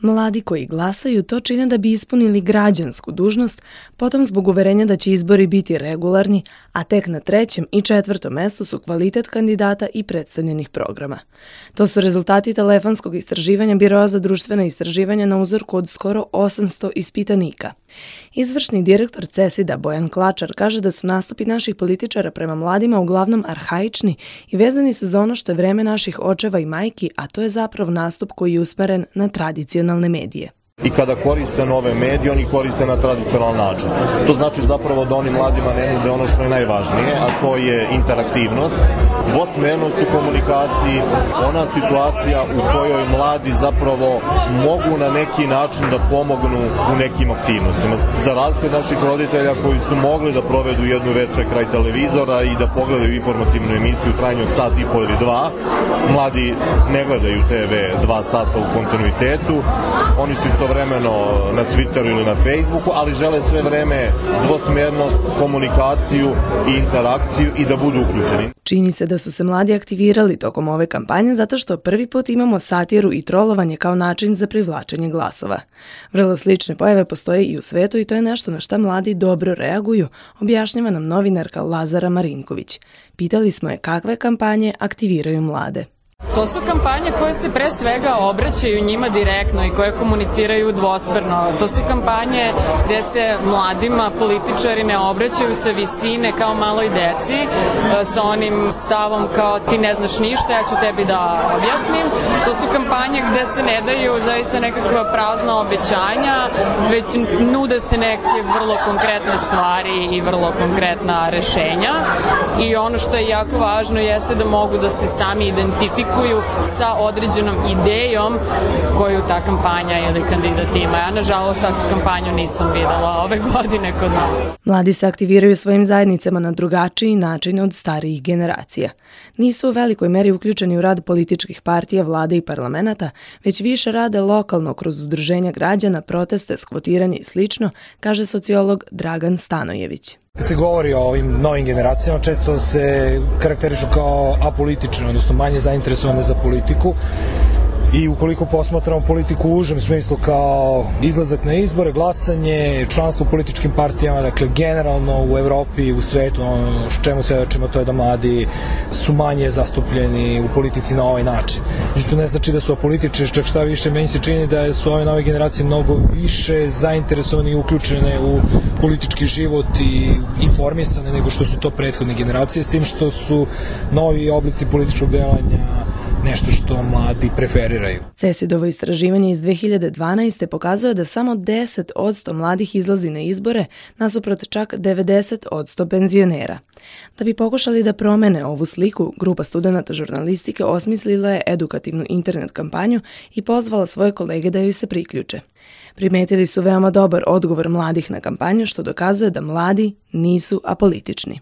Mladi koji glasaju to čine da bi ispunili građansku dužnost, potom zbog uverenja da će izbori biti regularni, a tek na 3. i 4. mestu su kvalitet kandidata i predstavljenih programa. To su rezultati telefonskog istraživanja Biroa za društvena istraživanja na uzorku od skoro 800 ispitanika. Izvršni direktor CESID-a Bojan Klačar kaže da su nastupi naših političara prema mladima uglavnom arhaični i vezani su za ono što je vreme naših očeva i majki, a to je zapravo nastup koji je usmeren na tradicionalne medije. I kada koriste nove medije, oni koriste na tradicionalan način. To znači zapravo da oni mladima ne nude ono što je najvažnije, a to je interaktivnost, dvosmernost u komunikaciji, ona situacija u kojoj mladi zapravo mogu na neki način da pomognu u nekim aktivnostima. Za razliku od naših roditelja koji su mogli da provedu jednu večer kraj televizora i da pogledaju informativnu emisiju u trajanju od sat i po ili 2, mladi ne gledaju TV 2 sata u kontinuitetu, oni su istovremeno na Twitteru ili na Facebooku, ali žele sve vreme dvosmjernost, komunikaciju i interakciju i da budu uključeni. Čini se da su se mladi aktivirali tokom ove kampanje zato što prvi put imamo satiru i trolovanje kao način za privlačenje glasova. Vrlo slične pojave postoje i u svetu i to je nešto na šta mladi dobro reaguju, objašnjava nam novinarka Lazara Marinković. Pitali smo je kakve kampanje aktiviraju mlade. To su kampanje koje se pre svega obraćaju njima direktno i koje komuniciraju dvosmerno. To su kampanje gde se mladima političari ne obraćaju sa visine kao maloj deci, sa onim stavom kao ti ne znaš ništa, ja ću tebi da objasnim. To su kampanje gde se ne daju zaista nekakva prazna obećanja, već nude se neke vrlo konkretne stvari i vrlo konkretna rešenja. I ono što je jako važno jeste da mogu da se sami identifikuju sa određenom idejom koju ta kampanja ili kandidat ima. Ja, nažalost, takvu kampanju nisam videla ove godine kod nas. Mladi se aktiviraju svojim zajednicama na drugačiji način od starijih generacija. Nisu u velikoj meri uključeni u rad političkih partija, vlade i parlamenta, već više rade lokalno kroz udruženja građana, proteste, skvotiranje i slično, kaže sociolog Dragan Stanojević. Kad se govori o ovim novim generacijama, često se karakterišu kao apolitične, odnosno manje zainteresovane za politiku. I ukoliko posmatramo politiku u užem smislu kao izlazak na izbore, glasanje, članstvo u političkim partijama, dakle generalno u Evropi i u svetu, ono čemu svedočimo to je da mladi su manje zastupljeni u politici na ovaj način. Znači to ne znači da su apolitični, čak šta više, meni se čini da su ove nove generacije mnogo više zainteresovane i uključene u politički život i informisane nego što su to prethodne generacije, s tim što su novi oblici političkog delovanja nešto što mladi preferiraju. CESID-ovo istraživanje iz 2012. pokazuje da samo 10% mladih izlazi na izbore, nasuprot čak 90% penzionera. Da bi pokušali da promene ovu sliku, grupa studenata žurnalistike osmislila je edukativnu internet kampanju i pozvala svoje kolege da joj se priključe. Primetili su veoma dobar odgovor mladih na kampanju, što dokazuje da mladi nisu apolitični.